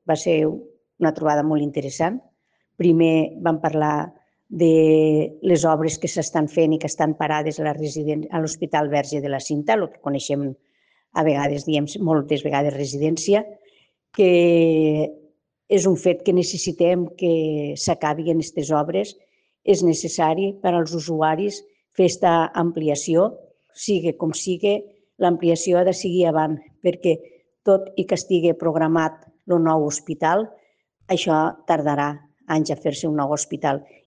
va ser una trobada molt interessant. Primer vam parlar de les obres que s'estan fent i que estan parades a l'Hospital Verge de la Cinta, el que coneixem a vegades, diem moltes vegades residència, que és un fet que necessitem que s'acabin aquestes obres. És necessari per als usuaris fer aquesta ampliació, sigui com sigui, l'ampliació ha de seguir avant, perquè tot i que estigui programat el nou hospital, això tardarà anys a fer-se un nou hospital